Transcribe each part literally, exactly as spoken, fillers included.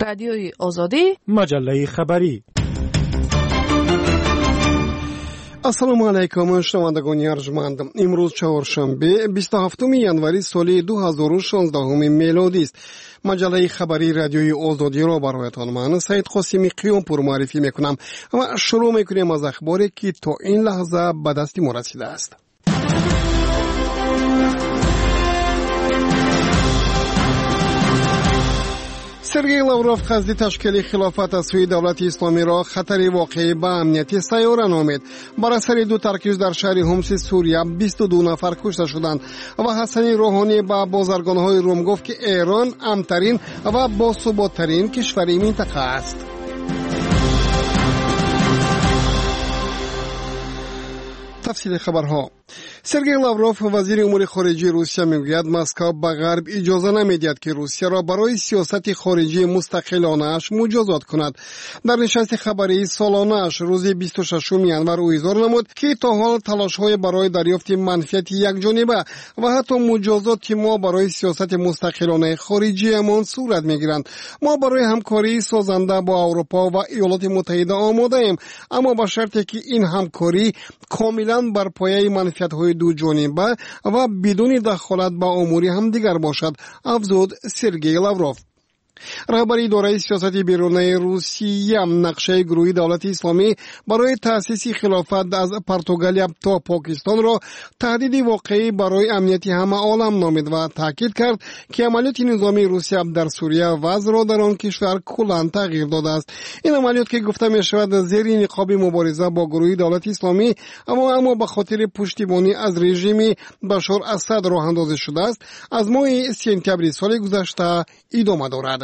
Радиои Озодӣ, маҷаллаи хабарӣ. Ассалому алайкум, шунавандагони арҷманд. Имрӯз чаҳоршанбе, бисту ҳафтуми январи соли ду ҳазору шонздаҳуми мелодист. Маҷаллаи хабарии Радиои Озодиро бароятон ман Саид Қосими Қиёмпур муаррифӣ мекунам ва шурӯъ мекунем аз ахборе, ки то ин лаҳза ба дасти мо расидааст. Сергей Лавров қасди ташкили хилофат аз сӯи давлати исломиро хатари воқеӣ ба амнияти сайёра номид. Бар асари ду таркиш дар шаҳри Ҳумси Сурия бисту ду нафар кушта шуданд ва Ҳасани Рӯҳонӣ ба бозаргонҳои Рум гуфт, ки Эрон амнтарин ва босуботтарин кишвари минтақа аст. Тафсили хабарҳо. Сергей Лавров, вазири умури хориҷии Русия, мегӯяд, Москва ба ғарб иҷоза намедиҳад, ки Русияро барои сиёсати хориҷии мустақилонааш муҷозот кунад. Дар нишасти хабарии солонааш рӯзи бисту шашуми январ ӯ изҳор намуд, ки то ҳол талошҳое барои дарёфти манфиати якҷониба ва ҳатто муҷозоти мо барои сиёсати мустақилонаи хориҷиямон сурат мегиранд. Мо барои ҳамкории созанда бо Аврупо ва Иёлоти Муттаҳида омодаем, аммо ба шарте ки ин ҳамкорӣ комилан бар пояи манфиатҳои дуҷониба ва бидуни дахолат ба умури ҳамдигар бошад, афзуд Сергей Лавров. Раҳбари идораи сиёсати берунаи Русия нақшаи гурӯҳи давлати исломӣ барои таъсиси хилофат аз Португалия то Покистонро таҳдиди воқеӣ барои амнияти ҳама олам номид ва таъкид кард, ки амалиёти низомии Русия дар Сурия вазъро дар он кишвар куллан тағйир додааст. Ин амалиёт, ки гуфта мешавад зери ниқоби мубориза бо гурӯҳи давлати исломӣ, аммо аммо ба хотири пуштибонӣ аз режими Башор Асад роҳандозӣ шудааст, аз моҳи сентябри соли гузашта идома дорад.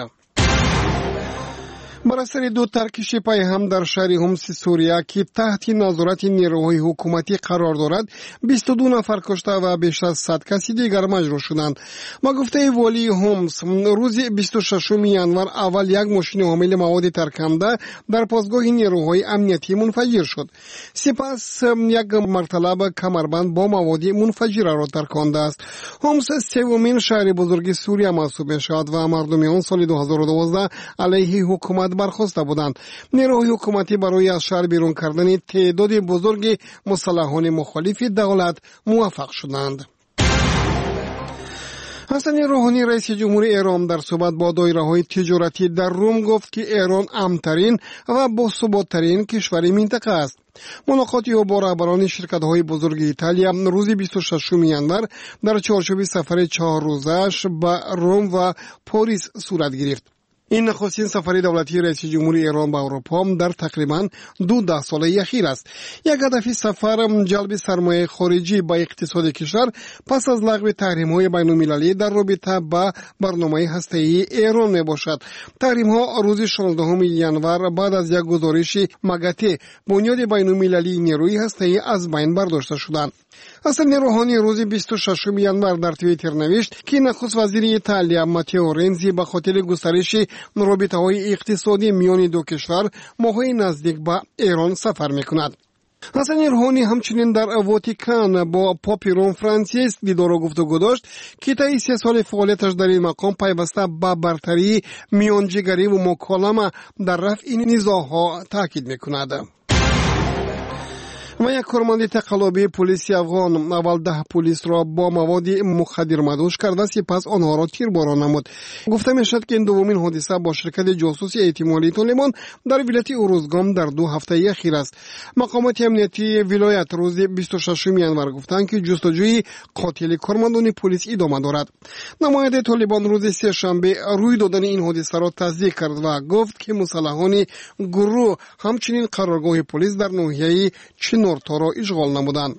Бар асари ду таркиши пайҳам дар шаҳри Ҳумси Сурия, ки таҳти назорати нерӯҳои ҳукуматӣ қарор дорад, бисту ду нафар кушта ва беш аз сад каси дигар маҷрӯҳ шуданд. Ба гуфтаи волии Ҳумс, рӯзи бисту шашуми январ аввал як мошини ҳомили маводи тарканда дар постгоҳи нерӯҳои амниятӣ мунфаҷир шуд. Сипас як марталаб камарбанд бо маводи мунфаҷираро таркондааст. Ҳумс севумин шаҳри бузурги Сурия маҳсуб мешавад ва мардуми он соли ду ҳазору дувоздаҳ алайҳи ҳукумат бархоста буданд. Нерӯҳои ҳукуматӣ барои аз шаҳр берун кардани теъдоди бузурги мусаллаҳони мухолифи давлат муваффақ шуданд. Ҳасани Рӯҳонӣ, раиси ҷумҳури Эрон, дар суҳбат бо доираҳои тиҷоратӣ дар Рум гуфт, ки Эрон амнтарин ва босуботтарин кишвари минтақа аст. Мулоқоти ӯ бо раҳбарони ширкатҳои бузурги Италия рӯзи бисту шашуми январ дар чорчӯби сафари чаҳоррӯзааш ба Рум ва Порис сурат гирифт. Ин нахустин сафари давлатии раиси ҷумҳури Эрон ба Аврупо дар тақрибан ду даҳсолаи ахир аст. Як ҳадафи сафар ҷалби сармояи хориҷӣ ба иқтисоди кишвар пас аз лағви таҳримҳои байналмилалӣ дар робита ба барномаи ҳастаии Эрон мебошад. Таҳримҳо рӯзи шонздаҳуми январ баъд аз як гузориши МАГАТЭ, бунёди байналмилалии нерӯи ҳастаӣ, аз байн бардошта шуданд. Ҳасани Рӯҳонӣ рӯзи бисту шашуми январ дар Твиттер навишт, ки нахуст вазири Италия Матео Рензи ба хотири густариши робитаҳои иқтисодӣ миёни ду кишвар моҳҳои наздик ба Эрон сафар мекунад. Ҳасани Рӯҳонӣ ҳамчунин дар Ватикан бо попи Рум Франсис дидору гуфтугӯ дошт, ки таи се соли фаъолияташ дар ин мақом пайваста ба бартарии миёнҷигариву муколама дар рафъи низоъҳо таъкид мекунад. Ва як корманди тақаллубии пулиси афғон аввал даҳ пулисро бо маводи мухаддир мадҳуш карда, сипас онҳоро тирборон намуд. Гуфта мешавад, ки ин дуввумин ҳодиса бо ширкати ҷосуси эҳтимолии Толибон дар вилояти Урузгон дар ду ҳафтаи ахир аст. Мақомоти амниятии вилоят рӯзи бисту шашуми январ гуфтанд, ки ҷустуҷӯи қотили кормандони пулис идома дорад. Намояндаи Толибон рӯзи сешанбе рӯй додани ин ҳодисаро тасдиқ кард ва гуфт, ки мусаллаҳони гурӯҳ ҳамчунин қароргоҳи пулис дар ноҳияи Чинорторо ишғол намуданд.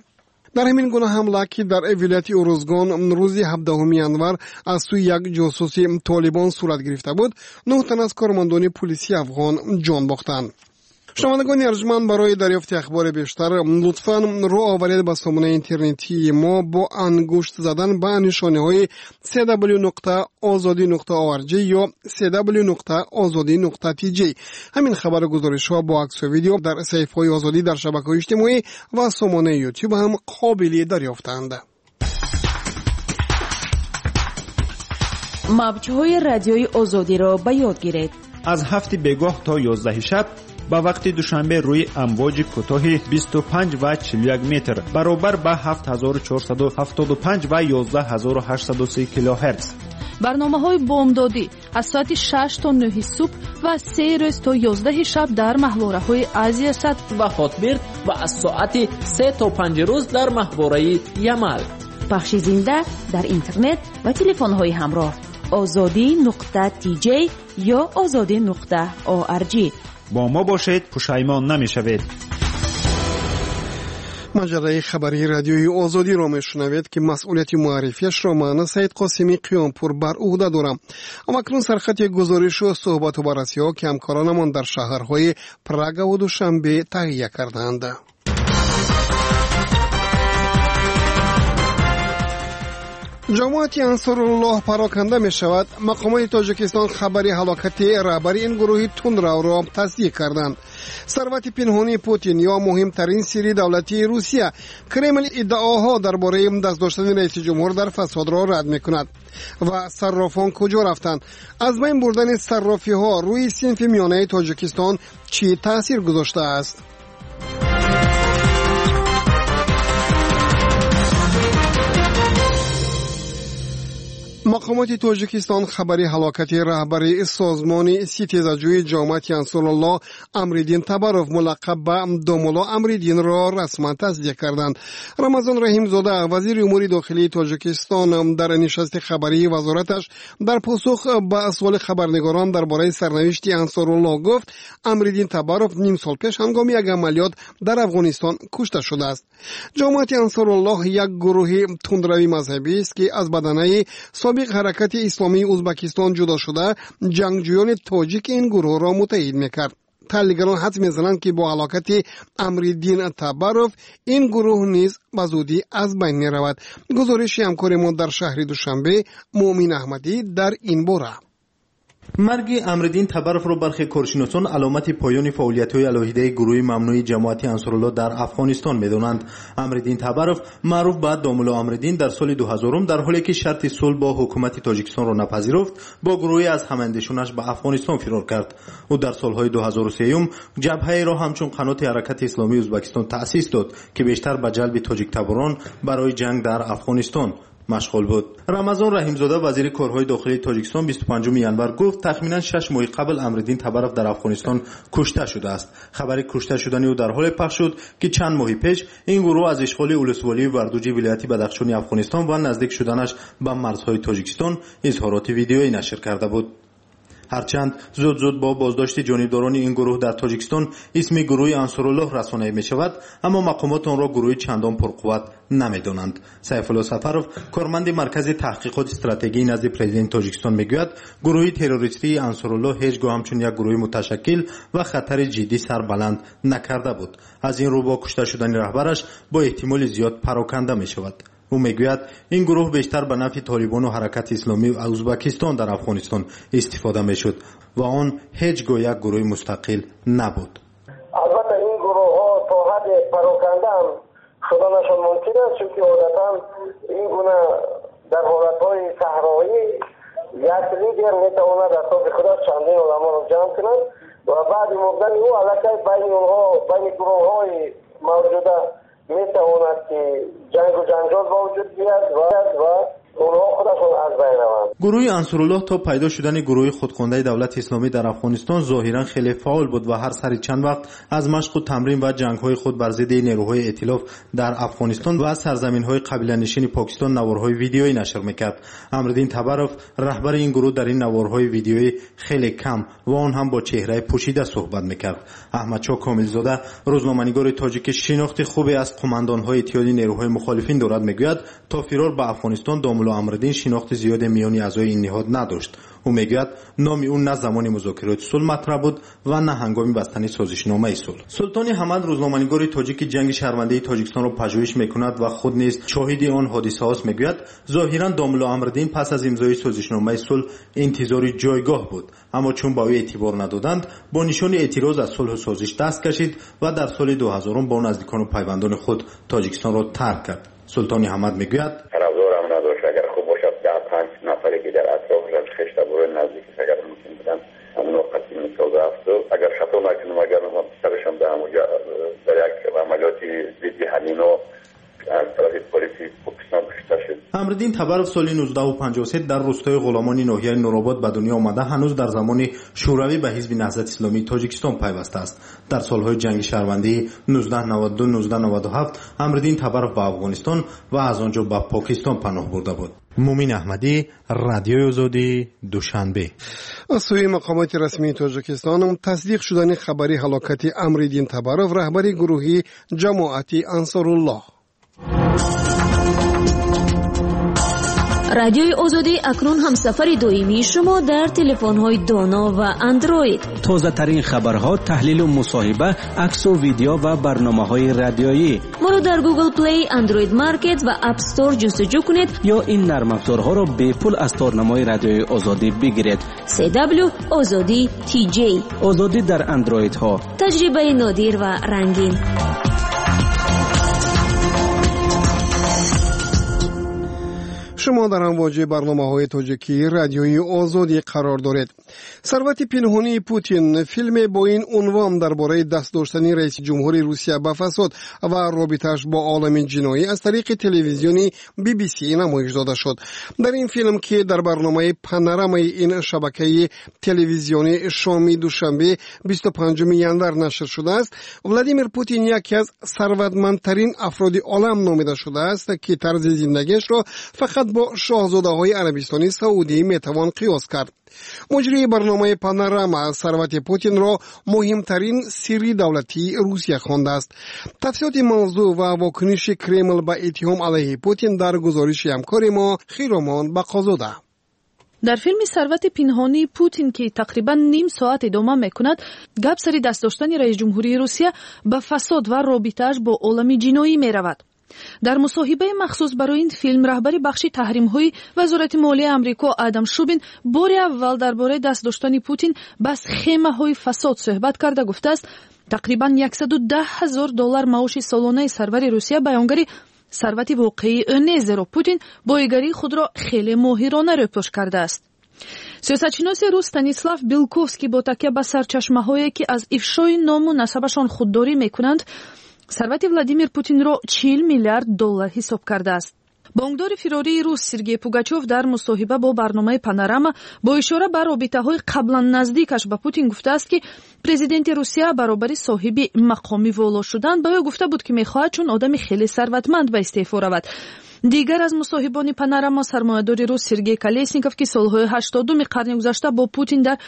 Дар ҳамин гуна ҳамла, ки дар вилояти Урузгон рӯзи ҳабдаҳуми январ аз сӯи як ҷосуси Толибон сурат гирифта буд, нӯҳ тан аз кормандони пулиси афғон ҷон бохтанд. Шунавандагони арҷманд, барои дарёфти ахбори бештар лутфан рӯ оваред ба сомонаи интернетии мо бо ангушт задан ба нишонаҳои си дабл-ю нуқта озодӣ нуқта орг ё си дабл-ю нуқта озодӣ нуқта ти ҷи. Ҳамин хабару гузоришҳо бо аксу видео дар саҳифаҳои Озодӣ дар шабакаҳои иҷтимоӣ ва сомонаи Ютуб ҳам қобили дарёфтанд. Мавҷҳои радиои Озодиро ба ёд гиред. Аз ҳафти бегоҳ то ёздаҳи шаб ба вақти Душанбе рӯи амвоҷи кӯтоҳи бисту панҷ ва чилу як метр баробар ба ҳафт ҳазору чорсаду ҳафтоду панҷ ва ёздаҳ ҳазору ҳаштсаду се килоҳерц. Барномаҳои бомдодӣ аз соати шаш то нӯҳи субҳ ва се рӯз то ёздаҳи шаб дар маҳвораҳои Азиясат ва Хотбирд ва аз соати се то панҷ рӯз дар маҳвораи Ямал. Пахши зинда дар интернет ва телефонҳои ҳамроҳ озодӣ нуқта тж ё озодӣ нуқта орг. Бо мо бошед, пушаймон намешавед. Маҷаллаи хабарии радиои Озодиро мешунавед, ки масъулияти муаррифиашро ман Саид Қосимӣ Қиёмпур бар уҳда дорам. Амакнун сархати гузоришу суҳбату баррасиҳо, ки ҳамкоронамон дар шаҳрҳои Прагаву Душанбе таҳия кардаанд. Ҷамоати Ансоруллоҳ пароканда мешавад. Мақомоти Тоҷикистон хабари ҳалокати раҳбари ин гурӯҳи тундравро тасдиқ карданд. Сарвати пинҳонии Путин ё муҳимтарин сирри давлатии Русия. Кремл иддаоҳо дар бораи даст доштани раиси ҷумҳур дар фасодро рад мекунад. Ва саррофон куҷо рафтанд? Аз байн бурдани саррофиҳо рӯи синфи миёнаи Тоҷикистон чӣ таъсир гузоштааст? Мақомоти Тоҷикистон хабари ҳалокати раҳбари созмони ситезаҷӯи ҷамоати Ансоруллоҳ Амриддин Табаров мулаққаб ба Домулло Амриддинро расман тасдиқ карданд. Рамазон Раҳимзода, вазири умури дохилии Тоҷикистон, дар нишасти хабарии вазораташ дар посух ба суоли хабарнигорон дар бораи сарнавишти Ансоруллоҳ гуфт, Амриддин Табаров ним сол пеш ҳангоми як амалиёт дар Афғонистон кушта шудааст. Ҷамоати Ансоруллоҳ як гурӯҳи тундрави мазҳабист, ки аз баданаи собиқ ҳаракати исломии Узбакистон ҷудо шуда, ҷангҷӯёни тоҷик ин гурӯҳро муттаҳид мекард. Таҳлилгарон ҳадс мезананд, ки бо ҳалокати Амриддин Табаров ин гурӯҳ низ ба зудӣ аз байн меравад. Гузориши ҳамкори мо дар шаҳри Душанбе Муъмин Аҳмадӣ дар ин бора. Марги Амриддин Табаровро бархе коршиносон аломати поёни фаъолиятҳои алоҳидаи гурӯҳи мамнӯи ҷамоати Ансоруллоҳ дар Афғонистон медонанд. Амриддин Табаров маъруф ба Домулло Амриддин дар соли дуҳазорум дар ҳоле ки шарти сулҳ бо ҳукумати Тоҷикистонро напазируфт, бо гурӯҳе аз ҳамандешонаш ба Афғонистон фирор кард. Ӯ дар солҳои дуҳазору сеюм ҷабҳаеро ҳамчун қаноти ҳаракати исломии Ӯзбекистон таъсис дод, ки бештар ба ҷалби тоҷиктаборон барои ҷанг дар Афғонистон машғул буд. Рамазон Раҳимзода, вазири корҳои дохилии Тоҷикистон, бисту панҷуми январ гуфт, тахминан шаш моҳи қабл Амриддин Табаров дар Афғонистон кушта шудааст. Хабари кушта шудани ӯ дар ҳоле пахш шуд, ки чанд моҳи пеш ин гурӯҳ аз ишғоли улусволии Вардуҷи вилояти Бадахшони Афғонистон ва наздик шуданаш ба марзҳои Тоҷикистон изҳороти видеоӣ нашр карда буд. Ҳарчанд зуд-зуд бо боздошти ҷонибдорони ин гурӯҳ дар Тоҷикистон исми гурӯҳи Ансоруллоҳ расонаӣ мешавад, аммо мақомот онро гурӯҳи чандон пурқувват намедонанд. Сайфулло Сафаров, корманди Маркази таҳқиқоти стратегии назди президенти Тоҷикистон, мегӯяд, гурӯҳи террористии Ансоруллоҳ ҳеҷ гоҳ ҳамчун як гурӯҳи муташаккил ва хатари ҷиддӣ сарбаланд накарда буд. Аз ин рӯ бо кушта шудани раҳбараш бо эҳтимоли зиёд пароканда мешавад. Ӯ мегӯяд, ин гурӯҳ бештар ба нафъи толибону ҳаракати исломии Ӯзбекистон дар Афғонистон истифода мешуд ва он ҳеҷ гоҳ як гурӯҳи мустақил набуд. Албатта ин гурӯҳҳо то ҳадде пароканда ҳам шуданашон мумкин аст, чунки одатан ин гуна дар ҳолатҳои саҳроӣ як лидер метавонад атрофи худаш чандин одамонро ҷамъ кунад ва баъди мурдани ӯ аллакай байни онҳо, байни гурӯҳҳои мавҷуда метавонад ки ҷангу ҷанҷол ба вуҷуд биёяд ва онҳо худашон аз байн раванд. Гурӯҳи Ансоруллоҳ то пайдо шудани гурӯҳи худхондаи давлати исломӣ дар Афғонистон зоҳиран хеле фаъол буд ва ҳар сари чанд вақт аз машқу тамрин ва ҷангҳои худ бар зидди нерӯҳои эътилоф дар Афғонистон ва сарзаминҳои қабиланишини Покистон наворҳои видеоӣ нашр мекард. Амриддин Табаров, раҳбари ин гурӯҳ, дар ин наворҳои видеоӣ хеле кам ва он ҳам бо чеҳраи пӯшида суҳбат мекард. Аҳмадшоҳ Комилзода, рӯзноманигори тоҷик, ки шинохти хубе аз қумандонҳои иттиҳоди нерӯҳои мухолифин дорад, мегӯяд, то фирор ба Афғонистон Домулло Амриддин шинохти зиёде миёни аъзои ин ниҳод надошт. Ӯ мегӯяд, номи ӯ на замони музокироти сулҳ матраҳ буд ва на ҳангоми бастани созишномаи сулҳ. Султони Ҳамад, рӯзноманигори тоҷик, ки ҷанги шаҳрвандии Тоҷикистонро пажӯҳиш мекунад ва худ низ шоҳиди он ҳодисаҳост, мегӯяд, зоҳиран Домулло Амриддин пас аз имзои созишномаи сулҳ интизори ҷойгоҳ буд, аммо чун ба ӯ эътибор надоданд, бо нишони эътироз аз сулҳу созиш даст кашид ва дар соли дуҳазорум бо наздикону пайвандони худ Тоҷикистонро тарк кард. Султони Ҳамад мегӯяд, тарафдорам надошт, агар хуб бошад даҳ панҷ нафаре ки дар атрофаш Агар хато накунам, агар писарашам дар ҳамонҷо дар як амалиёти зидди ҳамино аз тарафи полиси Покистон кушта шуд. Амриддин Табаров соли нуздаҳу панҷоҳу се дар рӯстои Ғуломони ноҳияи Нуробод ба дунё омада, ҳанӯз дар замони Шӯравӣ ба ҳизби Наҳзати Исломии Тоҷикистон пайвастааст. Дар солҳои ҷанги шаҳрвандии нуздаҳ наваду ду нуздаҳ наваду ҳафт Амриддин Табаров ба Афғонистон ва аз он ҷо ба Покистон паноҳ бурда буд. Мумин Аҳмадӣ, Радиои Озодӣ, Душанбе. Аз сӯи мақомоти расмии Тоҷикистон тасдиқ шудани хабари ҳалокати Амриддин Табаров, раҳбари гурӯҳи ҷамоати Ансоруллоҳ. Радиои Озодӣ акнун ҳамсафари доимии шумо дар телефонҳои доно ва андроид. Тозатарин хабарҳо, таҳлилу мусоҳиба, аксу видео ва барномаҳои радиоӣ. Моро дар Google Play, Android Market ва App Store ҷустуҷӯ кунед ё ин нармафзорҳоро бепул аз торнамои Радиои Озодӣ бигиред. си дабл ю Озодӣ ти ҷей. Озодӣ дар андроидҳо. Таҷрибаи нодир ва рангин. Шумо дар амвоҷи барномаҳои тоҷикии Радиои Озодӣ қарор доред. Сарвати пинҳонии Путин филме бо ин унвон дар бораи даст доштани раиси ҷумҳури Русия ба фасод ва робитааш бо олами ҷиноӣ аз тариқи телевизиони би би си намоиш дода шуд. Дар ин филм, ки дар барномаи Панорамаи ин шабакаи телевизиони шоми душанбе бисту панҷуми январ нашр шудааст, Владимир Путин яке аз сарватмандтарин афроди олам номида шудааст, ки тарзи зиндагиашро фақат бо шоҳзодаҳои Арабистони Саудӣ метавон қиёс кард. Муҷрии барномаи Панорама сарвати Путинро муҳимтарин сирри давлатии Русия хондааст. Тафсилоти мавзӯъ ва вокуниши Кремл ба иттиҳом алайҳи Путин дар гузориши ҳамкори мо Хиромон Бақозода. Дар филми Сарвати пинҳонии Путин, ки тақрибан ним соат идома мекунад, гап сари даст доштани раис ҷумҳурии Русия ба фасод ва робитааш бо олами ҷиноӣ меравад. Дар мусоҳибаи махсус барои ин филм раҳбари бахши таҳримҳои Вазорати молияи Амрико Адам Шубин бори аввал дар бораи даст доштани Путин ба схемаҳои фасод суҳбат карда гуфтааст, тақрибан яксаду даҳ ҳазор доллар маоши солонаи сарвари Русия баёнгари сарвати воқеии ӯ нест, зеро Путин боигарии худро хеле моҳирона рӯпӯш кардааст. Сиёсатшиноси рус Станислав Белковский бо такя ба сарчашмаҳое, ки аз ифшои ному насабашон худдорӣ мекунанд, сарвати Владимир Путинро чил миллиард доллар ҳисоб кардааст. Бонкдори фирории рус Сергей Пугачев дар мусоҳиба бо барномаи Панорама бо ишора ба робитаҳои қаблан наздикаш ба Путин гуфтааст, ки президенти Русия баробари соҳиби мақоми воло шудан ба ӯ гуфта буд, ки мехоҳад чун одами хеле сарватманд ба истеъфо равад. Дигар аз мусоҳибони Панорама сармоядори рус Сергей Колесников, ки солҳои ҳаштодуми қарни гузашта бо Путин дар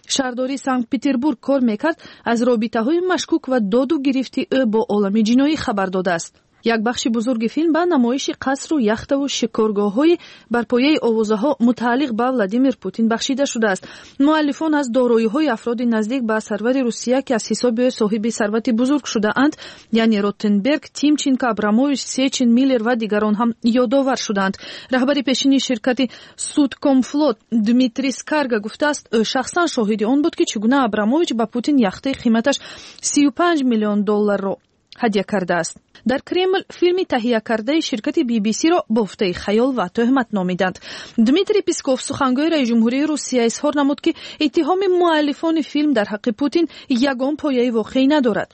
шаҳрдории Санкт-Петербург кор мекард, аз робитаҳои машкук ва доду гирифти ӯ бо олами ҷиноӣ хабар додааст. Як бахши бузурги филм ба намоиши қасру яхтаву шикоргоҳҳои бар пояи овозаҳо мутааллиқ ба Владимир Путин бахшида шудааст. Муаллифон аз дороиҳои афроди наздик ба сарвари Русия, ки аз ҳисоби ӯ соҳиби сарвати бузург шудаанд, яъне Ротенберг, Тимченко, Абрамович, Сечин, Миллер ва дигарон ҳам ёдовар шудаанд. Раҳбари пешини ширкати Судкомфлот Дмитрий Скарга гуфтааст, ӯ шахсан шоҳиди он буд, ки чӣ гуна Абрамович ба Путин яхтаи қиматаш сию панҷ миллион долларро ҳадя кардааст. Дар Кремл филми таҳиякардаи ширкати би би си-ро бофтаи хаёл ва тӯҳмат номиданд. Дмитрий Песков, сухангӯи раиси ҷумҳурии Русия, изҳор намуд, ки иттиҳоми муаллифони филм дар ҳаққи Путин ягон пояи воқеӣ надорад.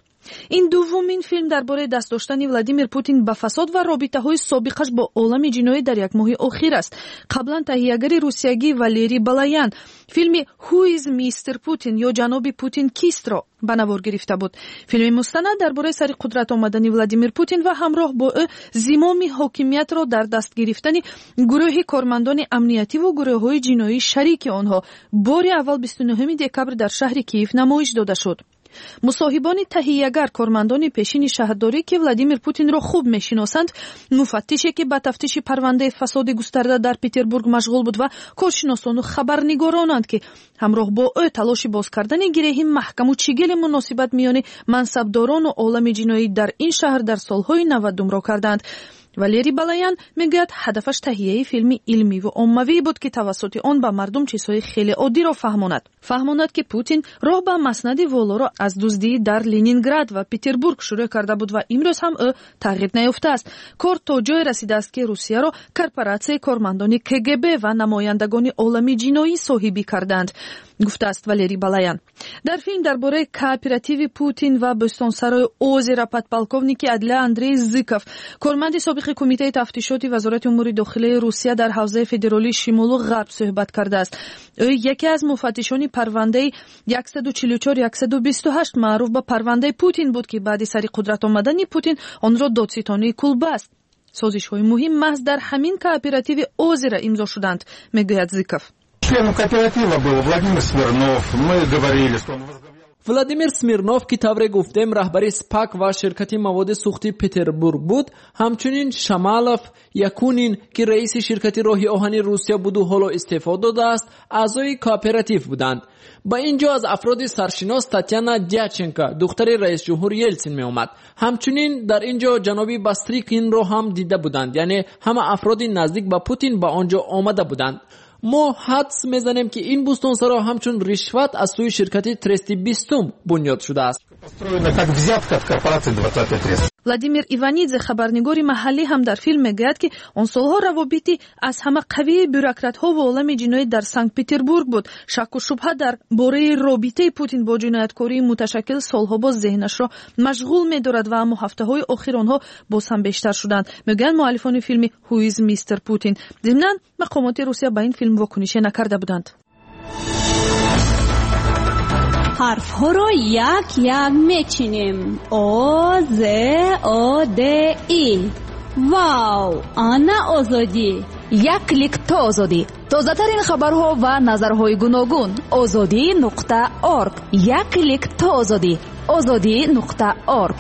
Ин дуввумин филм дар бораи даст доштани Владимир Путин ба фасод ва робитаҳои собиқаш бо олами ҷиноӣ дар як моҳи охир аст. Қаблан таҳиягари русиягӣ Валерий Балаян филми Who is Mister Putin ё ҷаноби Путин кистро ба навор гирифта буд. Филми мустанад дар бораи сари қудрат омадани Владимир Путин ва ҳамроҳ бо ӯ зимоми ҳокимиятро дар даст гирифтани гурӯҳи кормандони амниятиву гурӯҳҳои ҷиноии шарики онҳо бори аввал бисту нуҳуми декабр дар шаҳри Киев намоиш дода шуд. Мусоҳибони таҳиягар, кормандони пешини шаҳрдорӣ, ки Владимир Путинро хуб мешиносанд, муфаттише, ки ба тафтиши парвандаи фасоди густарда дар Петербург машғул буд, ва коршиносону хабарнигоронанд, ки ҳамроҳ бо ӯ талоши боз кардани гиреҳи маҳкаму чигили муносибат миёни мансабдорону олами ҷиноӣ дар ин шаҳр дар солҳои навадумро карданд. Валерий Балаян мегӯяд, ҳадафаш таҳияи филми илмиву оммавӣ буд, ки тавассути он ба мардум чизҳои хеле оддиро фаҳмонад. Фаҳмонад, ки Путин роҳ ба маснади волоро аз дуздӣ дар Ленинград ва Петербург шурӯъ карда буд ва имрӯз ҳам ӯ тағйир наёфтааст. Кор то ҷое расидааст, ки Русияро корпоратсияи кормандони ка ге бе ва намояндагони олами ҷиноӣ соҳибӣ карданд. Гуфтааст Валерий Балаян. Дар филм дар бораи кооперативи Путин ва бӯстонсарои Озера подполковники адлия Андрей Зыков, корманди собиқи Кумитаи тафтишоти Вазорати умури дохилаи Русия дар ҳавзаи федералии Шимолу Ғарб суҳбат кардааст. Ӯ яке аз муфаттишони парвандаи яксаду чилу чор яксаду бисту ҳашт маъруф ба парвандаи Путин буд, ки баъди сари қудрат омадани Путин онро додситонии кул баст. Созишҳои муҳим маҳз дар ҳамин кооперативи Озера имзо шуданд, мегӯяд Зыков. Членом кооператива был Владимир Смирнов. Мы говорили, что он возглавлял Владимир Смирнов, ки тавре гуфтем раҳбари СПАК ва ширкати маводи сӯхтии Петербург буд, ҳамчунин Шамалов, Якунин, ки раиси ширкати роҳи оҳани Русия буду ҳоло истеъфо додааст, аъзои кооператив буданд. Ба ин ҷо аз афроди саршинос Татьяна Дяченко, духтари раисҷумҳур Елсин меомад. Ҳамчунин дар ин ҷо ҷаноби Бастрикинро ҳам дида буданд, яъне ҳама афроди наздик ба Путин ба он ҷо омада буданд. Мо ҳадс мезанем, ки ин бӯстонсаро ҳамчун ришват аз сӯи ширкати Трести бистум бунёд шудааст. Владимир Иванидзе, хабарнигори маҳаллӣ, ҳам дар филм мегӯяд, ки он солҳо равобити аз ҳама қавии бюрократҳо ва олами ҷиноӣ дар Санкт-Петербург буд. Шакку шубҳа дар бораи робитаи Путин бо ҷинояткории муташаккил солҳо боз зеҳнашро машғул медорад ва аммо ҳафтаҳои охир онҳо боз ҳам бештар шуданд, мегӯянд муаллифони филми Who is Mister Putin. Зимнан мақомоти Русия ба ин филм вокунише накарда буданд. Ҳарфҳоро як-як мечинем. О, З, О, Д, И. Вау! Ана Озодӣ! Як клик то Озодӣ. Тозатарин хабарҳо ва назарҳои гуногун. Озодӣ нуқта орг. Як клик то Озодӣ. Озодӣ нуқта орг.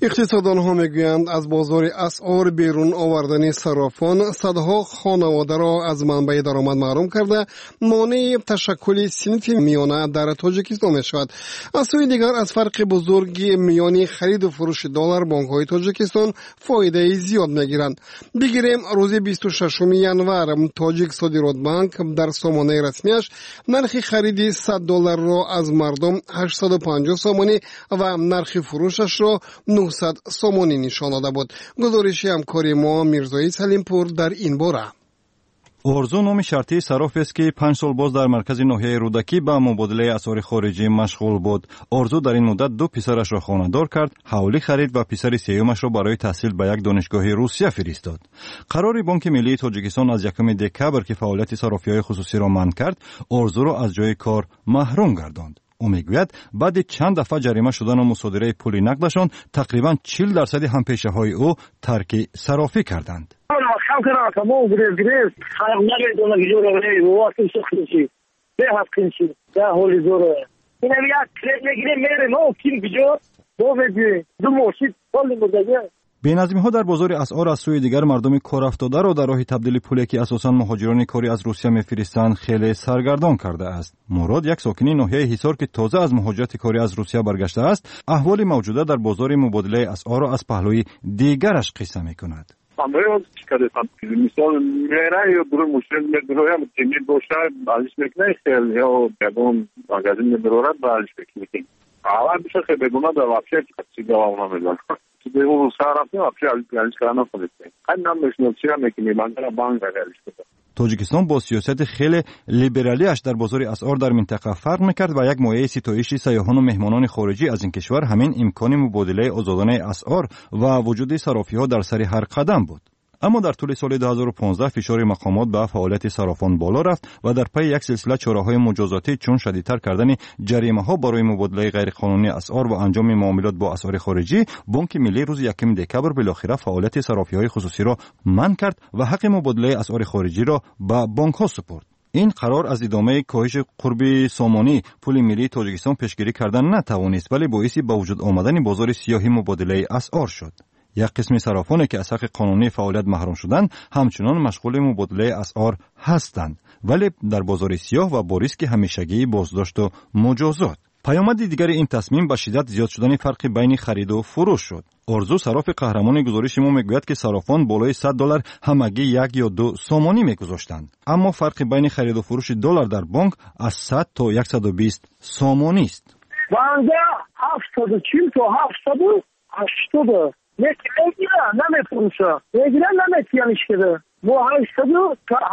Иқтисодонҳо мегӯянд, аз бозори асъор берун овардани саррофон садҳо хонаводаро аз манбаи даромад маҳрум карда, монеи ташаккули синфи миёна дар Тоҷикистон мешавад. Аз сӯи дигар, аз фарқи бузурги миёни хариду фурӯши доллар бонкҳои Тоҷикистон фоидаи зиёд мегиранд. Бигирем, рӯзи бисту шашуми январ Тоҷик Содиротбанк дар сомонаи расмияш нархи хариди сад долларро аз мардум ҳаштсаду панҷоҳ сомонӣ ва нархи фурӯшашро нуҳсад сомонӣ нишон дода буд. Гузориши ҳамкори мо Мирзои Салимпур дар ин бора. Орзу номи шартии саррофест, ки панҷ сол боз дар маркази ноҳияи Рӯдакӣ ба мубодилаи асъори хориҷӣ машғул буд. Орзу дар ин муддат ду писарашро хонадор кард, ҳавлӣ харид ва писари сеюмашро барои таҳсил ба як донишгоҳи Русия фиристод. Қарори Бонки Миллии Тоҷикистон аз якуми декабр, ки фаъолияти саррофиҳои хусусиро манъ кард, Орзуро аз ҷои кор маҳрум гардонд. Ӯ мегӯяд, баъди чанд дафъа ҷарима шудану мусодираи пули нақдашон тақрибан чил дарсади ҳампешаҳои ӯ тарки саррофӣ карданд. Беназмиҳо дар бозори асъор аз сӯи дигар мардуми корафтодаро дар роҳи табдили пуле, ки асосан муҳоҷирони корӣ аз Русия мефиристанд, хеле саргардон кардааст. Мурод, як сокини ноҳияи Ҳисор, ки тоза аз муҳоҷирати корӣ аз Русия баргаштааст, аҳволи мавҷуда дар бозори мубодилаи асъорро аз паҳлӯи дигараш қисса мекунад. Мисол мера ё дурур мушкил медуроям, темир боша, алиш мекунай хел, ё ягон магазин медурорад, ба алиш мекунем. Аввал биша хел бегуна да вообще чиз гава намедонам. Тоҷикистон бо сиёсати хеле либералиаш дар бозори асъор дар минтақа фарқ мекард ва як мояи ситоиши сайёҳону меҳмонони хориҷӣ аз ин кишвар ҳамин имкони мубодилаи озодонаи асъор ва вуҷуди саррофиҳо дар сари ҳар қадам буд. Аммо дар тӯли соли ду ҳазору понздаҳ фишори мақомот ба фаъолияти саррофон боло рафт ва дар пайи як силсила чораҳои муҷозотӣ, чун шадидтар кардани ҷаримаҳо барои мубодилаи ғайриқонунии асъор ва анҷоми муомилот бо асъори хориҷӣ, Бонки Миллӣ рӯзи якуми декабр билохира фаъолияти саррофиҳои хусусиро манъ кард ва ҳаққи мубодилаи асъори хориҷиро ба бонкҳо супурд. Ин қарор аз идомаи коҳиши қурби сомонӣ пули миллии Тоҷикистон пешгирӣ кардан натавонист, вале боиси ба вуҷуд омадани бозори сиёҳи мубодилаи асъор шуд. Як қисми саррофоне, ки аз ҳаққи қонунии фаъолият маҳрум шуданд, ҳамчунон машғули мубодилаи асъор ҳастанд, вале дар бозори сиёҳ ва бо риски ҳамешагии боздошту муҷозот. Паёмади дигари ин тасмим ба шиддат зиёд шудани фарқи байни хариду фурӯш шуд. Орзу, саррофи қаҳрамони гузориши мо, мегӯяд, ки саррофон болои сад доллар ҳамагӣ як ё ду сомонӣ мегузоштанд, аммо фарқи байни хариду фурӯши доллар дар бонк аз сад то яксаду бист сомонист. Банда ҳафтсаду чил то ҳафтсаду ҳаштоду Не мегира, намефурӯша. Мегира, наметияниш кида. Мо ҳаштсаду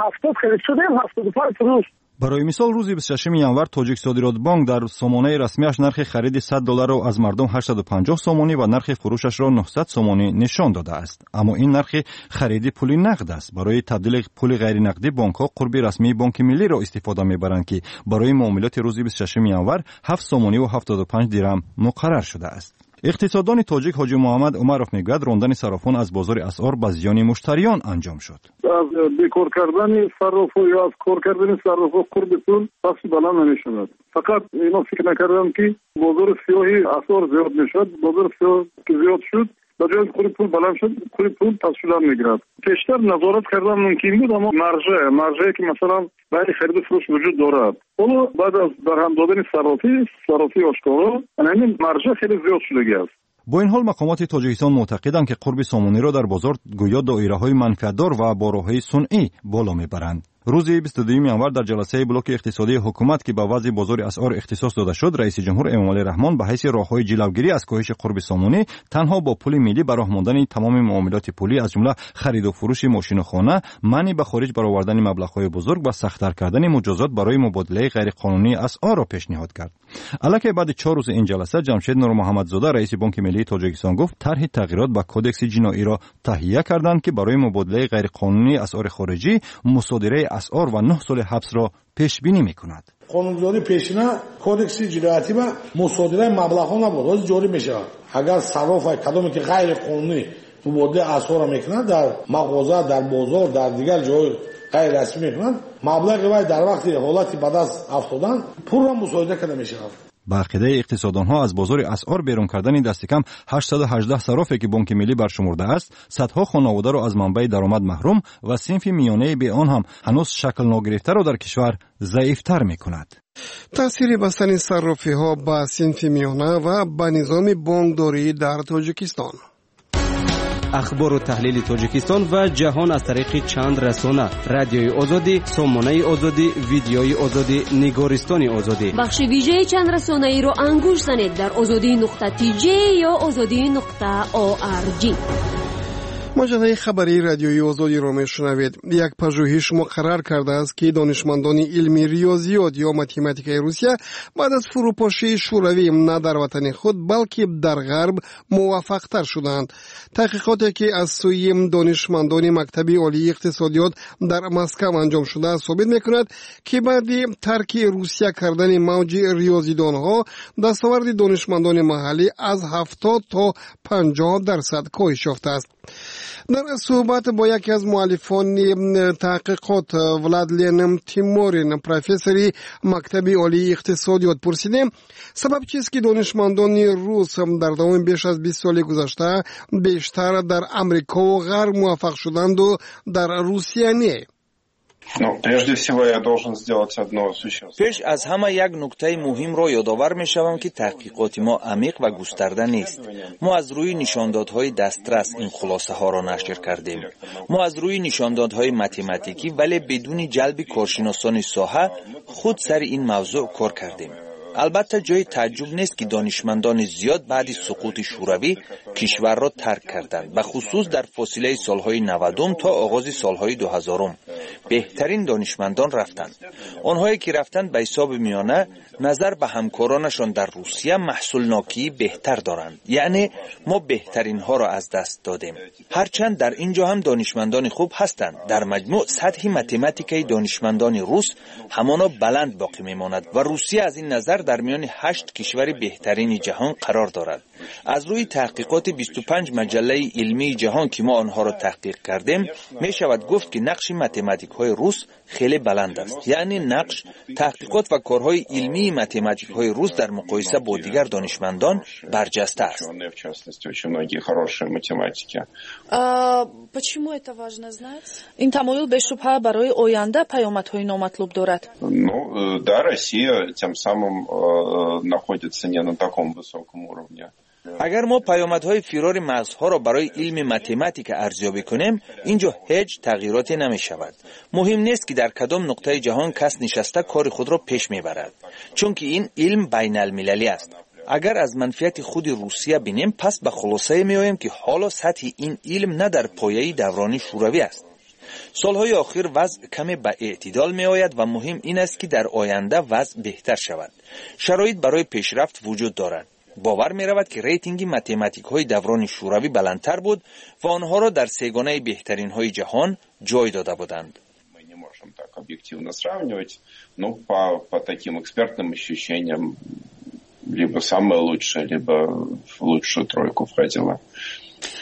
ҳафтод харид шудем, ҳафтоду панҷ фурӯш. Барои мисол, рӯзи бисту шашуми январ Тоҷиксодиротбонк дар сомонаи расмиаш нархи хариди сад долларро аз мардум ҳаштсаду панҷоҳ сомонӣ ва нархи фурӯшашро нуҳсад сомонӣ нишон додааст. Аммо ин нархи хариди пули нақд аст. Барои табдили пули ғайринақдӣ бонкҳо қурби расмии Бонки Миллиро истифода мебаранд, ки барои муомилоти рӯзи бисту шашуми январ ҳафт сомониву ҳафтоду панҷ дирам муқаррар шудааст. Иқтисоддони тоҷик Ҳоҷи Муҳаммад Умаров мегӯяд, рондани саррофон аз бозори асъор ба зиёни муштариён анҷом шуд. Аз бекор кардани саррофҳо ё аз кор кардани саррофҳо қурби пул пасту баланд намешавад. Фақат ино фикр накарданд, ки бозори сиёҳи асъор зиёд мешавад. Бозори сиёҳ ки зиёд шуд, ба ҷои қурби пул баланд шуд, қурби пул паст шудан мегирад. Пештар назорат кардан мумкин буд, аммо маржа, маржае ки масалан байни хариду фурӯш вуҷуд дорад, ҳоло баъд аз барҳам додани саррофӣ, саррофии ошкоро, ҳамин маржа хеле зиёд шудагӣ аст. Бо ин ҳол мақомоти Тоҷикистон муътақиданд, ки қурби сомониро дар бозор гӯё доираҳои манфиатдор ва бо роҳҳои сунъӣ боло мебаранд. Рӯзи бисту дуюми январ дар ҷаласаи блоки иқтисодии ҳукумат, ки ба вазъи бозори асъор ихтисос дода шуд, раиси ҷумҳур Эмомалӣ Раҳмон ба ҳайси роҳҳои ҷилавгирӣ аз коҳиши қурби сомонӣ танҳо бо пули миллӣ ба роҳ мондани тамоми муомилоти пулӣ, аз ҷумла хариду фурӯши мошину хона, манъи ба хориҷ баровардани маблағҳои бузург ва сахттар кардани муҷозот барои мубодилаи ғайриқонунии асъорро пешниҳод кард. Аллакай баъди чор рӯзи ин ҷаласа Ҷамшед Нурмуҳаммадзода, раиси Бонки Миллии Тоҷикистон, гуфт тарҳи тағйирот ба кодекси ҷиноиро таҳия карданд, ки барои мубодилаи ғайриқонунии асъори хориҷӣ мусодираи асъор ва нӯҳ соли ҳабсро пешбинӣ мекунад. Қонунгузории пешина кодекси ҷиноятӣ ба мусодираи маблағҳо набуд, ҳозир ҷорӣ мешавад. Агар сарроф кадоме ки ғайриқонунӣ мубодилаи асъорро мекунад, дар мағоза, дар бозор, дар дигар ҷой ғайрирасмӣ мекунад, маблағи вай дар вақти ҳолати ба даст афтодан пурра мусодира карда мешавад. Ба ақидаи иқтисодонҳо аз бозори асъор берун кардани дастикам ҳаштсаду ҳаждаҳ саррофе, ки Бонки Миллӣ баршумурдааст, садҳо хонаводаро аз манбаи даромад маҳрум ва синфи миёнаи бе он ҳам ҳанӯз шакл ногирифтаро дар кишвар заифтар мекунад. Таъсири бастани саррофиҳо ба синфи миёна ва ба низоми бонкдорӣ дар Тоҷикистон. Ахбору таҳлили Тоҷикистон ва ҷаҳон аз тариқи чанд расона: Радиои Озодӣ, Сомонаи Озодӣ, Видеои Озодӣ, Нигористони Озодӣ. Бахши вижаи чанд расонаиро ангуш занед дар озодӣ нуқта тж ё озодӣ нуқта орг. Маҷаллаи хабарии Радиои Озодиро мешунавед. Як пажӯҳиш муқаррар кардааст, ки донишмандони илми риёзиёт ё математикаи Русия баъд аз фурӯпошии Шӯравӣ на дар ватани худ, балки дар Ғарб муваффақтар шудаанд. Таҳқиқоте, ки аз сӯи донишмандони Мактаби Олии иқтисодиёт дар Москав анҷом шудааст, собит мекунад, ки баъди тарки Русия кардани мавҷи риёзидонҳо дастоварди донишмандони маҳаллӣ аз ҳафтод то панҷоҳ дарсад коҳиш ёфтааст. Дар суҳбат бо яке аз муаллифони таҳқиқот Владлен Тиморин, профессори Мактаби Олии иқтисодиёт, пурсидем, сабаб чист, ки донишмандони рус дар давоми беш аз бист соли гузашта бештар дар Амрикову Ғарб муваффақ шуданду дар Русия не. Ну, прежде всего я должен сделать одно существенное. Пеш аз ҳама як нуктаи муҳимро ёдовар мешавам, ки таҳқиқоти мо амиқ ва густарда нест. Мо аз рӯи нишондодҳои дастрас ин хулосаҳоро нашр кардем. Мо аз рӯи нишондодҳои математикӣ, вале бидуни ҷалби коршиносони соҳа худ сари ин мавзӯъ кор кардем. Албатта, ҷои тааҷҷуб нест, ки донишмандони зиёд баъди суқути Шӯравӣ кишварро тарк карданд, ба хусус дар фосилаи солҳои навадум то оғози солҳои дуҳазорум беҳтарин донишмандон рафтанд. Онҳое ки рафтанд, ба ҳисоби миёна назар ба ҳамкоронашон дар Русия маҳсулнокии беҳтар доранд, яъне мо беҳтаринҳоро аз даст додем, ҳарчанд дар ин ҷо ҳам донишмандони хуб ҳастанд. Дар маҷмӯъ сатҳи математикаи донишмандони рус ҳамоно баланд боқӣ мемонад ва Русия аз ин назар дар миёни ҳашт кишвари беҳтарини ҷаҳон қарор дорад. Аз рӯи таҳқиқоти бисту панҷ маҷаллаи илмии ҷаҳон, ки мо онҳоро таҳқиқ кардем, мешавад гуфт, ки нақши математикҳои рус хеле баланд аст, яъне нақш, таҳқиқот ва корҳои илмии математикҳои рус дар муқоиса бо дигар донишмандон барҷаста аст. Ин тамоюл бешубҳа барои оянда паёмадҳои номатлуб дорад. Ну, да, Россия тем самым находится не на таком высоком уровне. Агар мо паёмадҳои фирори мағзҳоро барои илми математика арзёбӣ кунем, ин ҷо ҳеҷ тағйироте намешавад. Муҳим нест, ки дар кадом нуқтаи ҷаҳон кас нишаста кори худро пеш мебарад, чунки ин илм байналмилалӣ аст. Агар аз манфиати худи Русия бинем, пас ба хулосае меоем, ки ҳоло сатҳи ин илм на дар пояи даврони шӯравӣ аст. Солҳои охир вазъ каме ба эътидол меояд ва муҳим ин аст, ки дар оянда вазъ беҳтар шавад. Шароит барои пешрафт вуҷуд дорад. Бовар меравад, ки рейтинги математикҳои даврони шӯравӣ баландтар буд ва онҳоро дар сегонаи беҳтаринҳои ҷаҳон ҷой дода буданд. Мы не можем так объективно сравнивать, но по, по таким экспертным ощущениям либо самое лучшее, либо в лучшую тройку входила.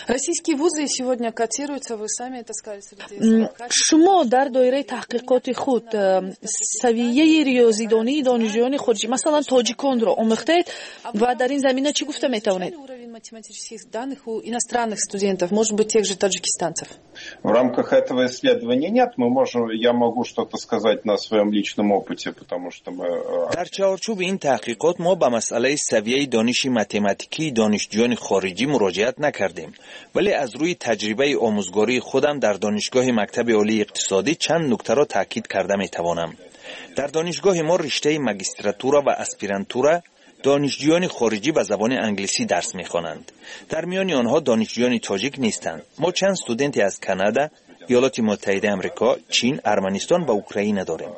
Российские вузы сегодня котируются, вы сами это сказали, среди Шумо дар доираи таҳқиқоти худ э, савияи риёзидонии донишҷӯёни хориҷӣ, масалан тоҷиконро, омӯхтаед ва дар ин замина чӣ гуфта метавонед? Уровень математических данных у иностранных студентов, может быть, тех же таджикистанцев? В рамках этого исследования нет. Мы можем, я могу что-то сказать на своем личном опыте, потому что мы... Э, Дар чаҳорчӯби ин таҳқиқот мо ба масъалаи савияи дониши математикии донишҷӯёни хориҷӣ муроҷиат накардем, вале аз рӯи таҷрибаи омӯзгории худам дар донишгоҳи мактаби олии иқтисодӣ чанд нуктаро таъкид карда метавонам. Дар донишгоҳи мо, риштаи магистратура ва аспирантура, донишҷӯёни хориҷӣ ба забони англисӣ дарс мехонанд. Дар миёни онҳо донишҷӯёни тоҷик нестанд. Мо чанд студенте аз Канада, Иёлоти Муттаҳидаи Амрико, Чин, Арманистон ва Украина дорем.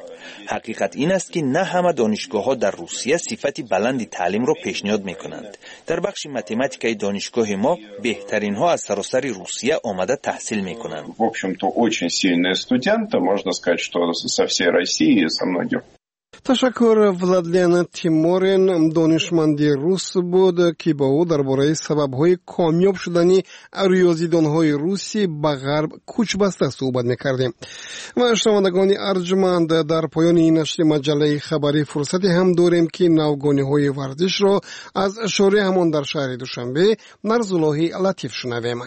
Ҳақиқат ин аст, ки на ҳама донишгоҳҳо дар Русия сифати баланди таълимро пешниҳод мекунанд. Дар бахши математикаи донишгоҳи мо беҳтаринҳо аз саросари Русия омада таҳсил мекунанд. В общем-то, очень сильные студенты, можно сказать, что со всей России и со многих. Ташаккур. Владлен Тиморин донишманди рус буд, ки бо ӯ дар бораи сабабҳои комёб шудани риёзидонҳои русӣ ба ғарб кӯчбаста суҳбат мекардем. Ва шунавандагони арҷманд, дар поёни ин нашри маҷаллаи хабарӣ фурсате ҳам дорем, ки навгониҳои варзишро аз шореҳамон дар шаҳри Душанбе Нарзуллоҳи Латиф шунавем.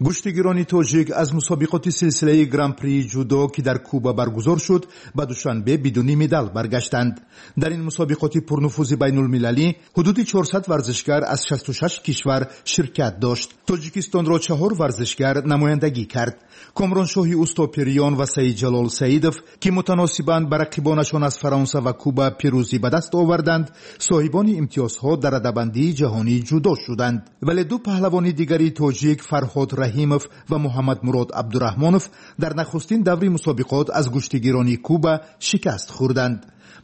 Гӯштигирони тоҷик аз мусобиқоти силсилаи Гран-прии ҷудо, ки дар Куба баргузор шуд, ба Душанбе бидуни медал баргаштанд. Дар ин мусобиқоти пурнуфузи байнулмилалӣ ҳудуди чорсад варзишгар аз шасту шаш кишвар ширкат дошт. Тоҷикистонро чаҳор варзишгар намояндагӣ кард: Комроншоҳи Устопириён ва Саидҷалол Саидов, ки мутаносибан ба рақибонашон аз Фаронса ва Куба пирӯзӣ ба даст оварданд, соҳибони имтиёзҳо дар радабандии ҷаҳонии ҷудо шуданд. Вале ду паҳлавони дигари тоҷик, Фарҳод Раҳимов ва Муҳаммадмурод Абдураҳмонов, дар нахустин даври мусобиқот аз гӯштигирони Куба шикаст хӯрданд.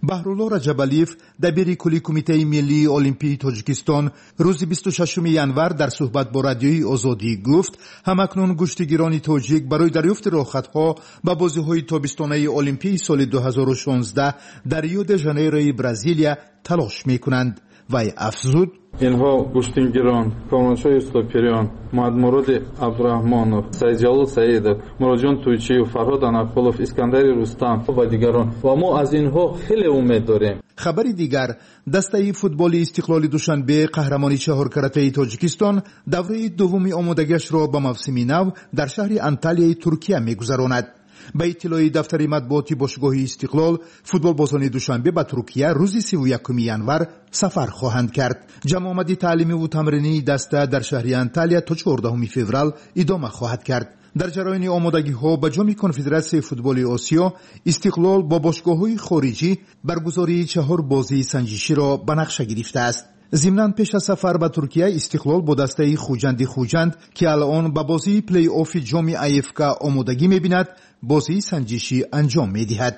Баҳрулло Раҷабалиев, дабири кулли Кумитаи миллии олимпии Тоҷикистон, рӯзи бисту шашуми январ дар суҳбат бо Радиои Озодӣ гуфт, ҳамакнун гӯштигирони тоҷик барои дарёфти роҳхатҳо ба бозиҳои тобистонаи олимпии соли ду ҳазору шонздаҳ дар Рио де Жанейрои Бразилия талош мекунанд. Вай афзуд: Инҳо гӯштингирон Комроншоҳи Устопириён, Муҳаммадмуроди Абдураҳмонов, Саидҷалол Саидов, Муроҷон Тӯйчиев, Фарҳод Анақулов, Искандари Рустам ва дигарон, ва мо аз инҳо хеле умед дорем. Хабари дигар: дастаи футболи Истиқлоли Душанбе, қаҳрамони чаҳоркаратаи Тоҷикистон, давраи дуввуми омодагиашро ба мавсими нав дар шаҳри Анталияи Туркия мегузаронад. Ба иттилои дафтари матбуоти бошгоҳи Истиқлол, футболбозони Душанбе ба Туркия рӯзи сиву якуми январ сафар хоҳанд кард. Ҷамъомади таълимиву тамринии даста дар шаҳри Анталия то чордаҳуми феврал идома хоҳад кард. Дар ҷараёни омодагиҳо ба Ҷоми Конфедератсияи футболи Осиё Истиқлол бо бошгоҳҳои хориҷӣ баргузории чаҳор бозии санҷиширо ба нақша гирифтааст. Зимнан, пеш аз сафар ба Туркия Истиқлол бо дастаи Хуҷанди Хуҷанд, ки алон ба бозии плей-оффи ҷоми А Ф К омодагӣ мебинад, бозии санҷишӣ анҷом медиҳад.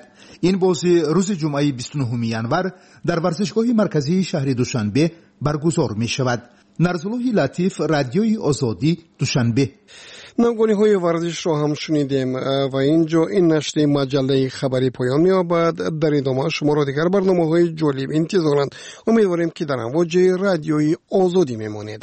Ин бозӣ рӯзи ҷумъаи бисту нуҳуми январ дар варзишгоҳи марказии шаҳри Душанбе баргузор мешавад. Нарзуллоҳи Латиф, Радиои Озодӣ, Душанбе. Навгониҳои варзишро ҳам шунидем ва ин ҷо ин нашри маҷаллаи хабарӣ поён меёбад. Дар идома шуморо дигар барномаҳои ҷолиб интизоранд. Умедворем, ки дар амвоҷи Радиои Озодӣ мемонед.